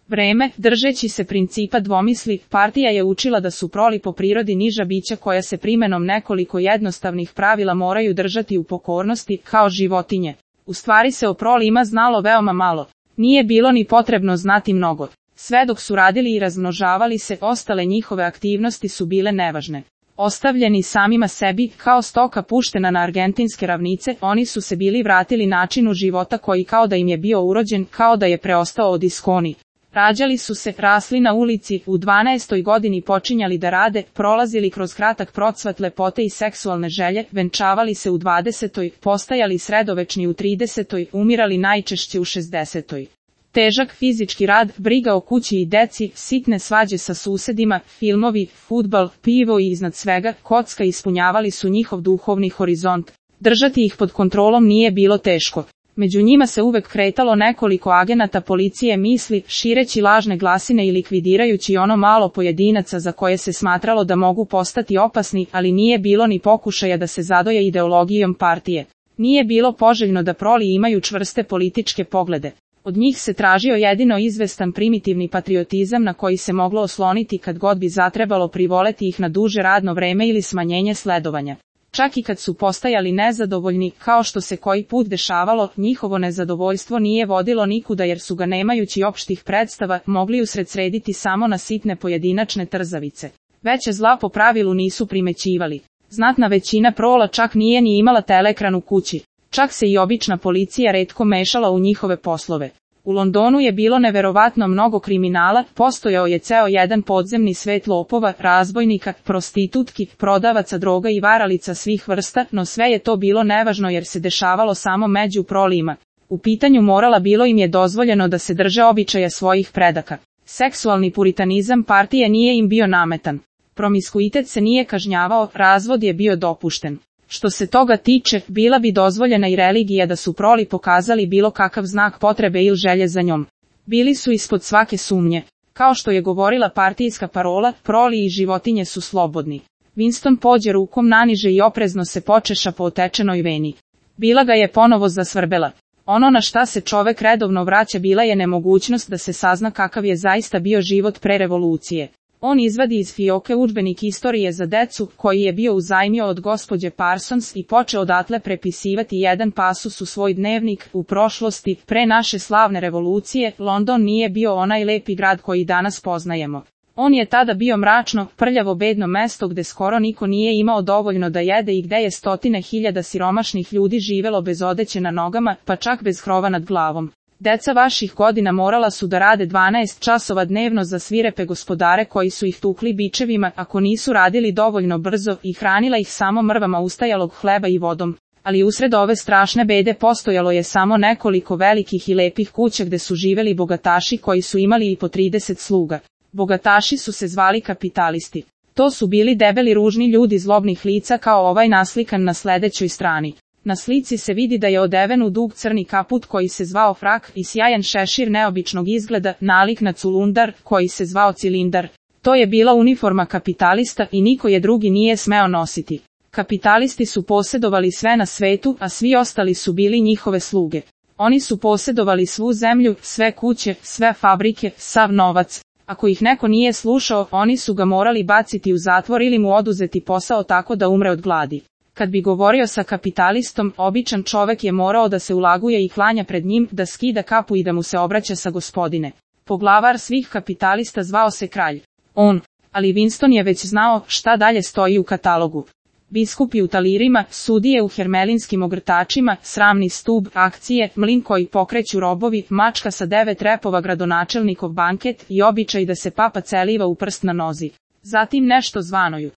vreme, držeći se principa dvomisli, partija je učila da su proli po prirodi niža bića koja se primenom nekoliko jednostavnih pravila moraju držati u pokornosti, kao životinje. U stvari se o prolima znalo veoma malo. Nije bilo ni potrebno znati mnogo. Sve dok su radili i razmnožavali se, ostale njihove aktivnosti su bile nevažne. Ostavljeni samima sebi, kao stoka puštena na argentinske ravnice, oni su se bili vratili načinu života koji kao da im je bio urođen, kao da je preostao od iskoni. Rađali su se, rasli na ulici, u 12. godini počinjali da rade, prolazili kroz kratak procvat lepote i seksualne želje, venčavali se u 20. postajali sredovečni u 30. umirali najčešće u 60. Težak fizički rad, briga o kući i deci, sitne svađe sa susedima, filmovi, fudbal, pivo i iznad svega, kocka ispunjavali su njihov duhovni horizont. Držati ih pod kontrolom nije bilo teško. Među njima se uvek kretalo nekoliko agenata policije misli, šireći lažne glasine i likvidirajući ono malo pojedinaca za koje se smatralo da mogu postati opasni, ali nije bilo ni pokušaja da se zadoje ideologijom partije. Nije bilo poželjno da proli imaju čvrste političke poglede. Od njih se tražio jedino izvestan primitivni patriotizam na koji se moglo osloniti kad god bi zatrebalo privoleti ih na duže radno vreme ili smanjenje sledovanja. Čak i kad su postajali nezadovoljni, kao što se koji put dešavalo, njihovo nezadovoljstvo nije vodilo nikuda jer su ga nemajući opštih predstava, mogli usred srediti samo na sitne pojedinačne trzavice. Veće zla po pravilu nisu primećivali. Znatna većina prola čak nije ni imala teleekran u kući. Čak se i obična policija retko mešala u njihove poslove. U Londonu je bilo neverovatno mnogo kriminala, postojao je ceo jedan podzemni svet lopova, razbojnika, prostitutki, prodavaca droga i varalica svih vrsta, no sve je to bilo nevažno jer se dešavalo samo među prolima. U pitanju morala bilo im je dozvoljeno da se drže običaja svojih predaka. Seksualni puritanizam partije nije im bio nametan. Promiskuitet se nije kažnjavao, razvod je bio dopušten. Što se toga tiče, bila bi dozvoljena i religija da su proli pokazali bilo kakav znak potrebe ili želje za njom. Bili su ispod svake sumnje. Kao što je govorila partijska parola, proli i životinje su slobodni. Winston pođe rukom naniže i oprezno se počeša po otečenoj veni. Bila ga je ponovo zasvrbela. Ono na šta se čovek redovno vraća bila je nemogućnost da se sazna kakav je zaista bio život pre revolucije. On izvadi iz fioke udžbenik istorije za decu, koji je bio uzajmio od gospođe Parsons i počeo odatle prepisivati jedan pasus u svoj dnevnik. U prošlosti, pre naše slavne revolucije, London nije bio onaj lepi grad koji danas poznajemo. On je tada bio mračno, prljavo bedno mesto gde skoro niko nije imao dovoljno da jede i gde je stotine hiljada siromašnih ljudi živelo bez odeće na nogama, pa čak bez krova nad glavom. Deca vaših godina morala su da rade 12 časova dnevno za svirepe gospodare koji su ih tukli bičevima ako nisu radili dovoljno brzo i hranila ih samo mrvama ustajalog hleba i vodom. Ali usred ove strašne bede postojalo je samo nekoliko velikih i lepih kuća gde su živeli bogataši koji su imali i po 30 sluga. Bogataši su se zvali kapitalisti. To su bili debeli ružni ljudi zlobnih lica kao ovaj naslikan na sledećoj strani. Na slici se vidi da je odeven u dug crni kaput koji se zvao frak i sjajan šešir neobičnog izgleda, nalik na culundar koji se zvao cilindar. To je bila uniforma kapitalista i niko je drugi nije smeo nositi. Kapitalisti su posedovali sve na svetu, a svi ostali su bili njihove sluge. Oni su posedovali svu zemlju, sve kuće, sve fabrike, sav novac. Ako ih neko nije slušao, oni su ga morali baciti u zatvor ili mu oduzeti posao tako da umre od gladi. Kad bi govorio sa kapitalistom, običan čovek je morao da se ulaguje i klanja pred njim, da skida kapu i da mu se obraća sa gospodine. Poglavar svih kapitalista zvao se kralj. Ali Winston je već znao šta dalje stoji u katalogu. Biskupi u talirima, sudije u hermelinskim ogrtačima, sramni stub, akcije, mlin koji pokreću robovi, mačka sa 9 repova, gradonačelnikov banket i običaj da se papa celiva u prst na nozi. Zatim nešto zvanoju.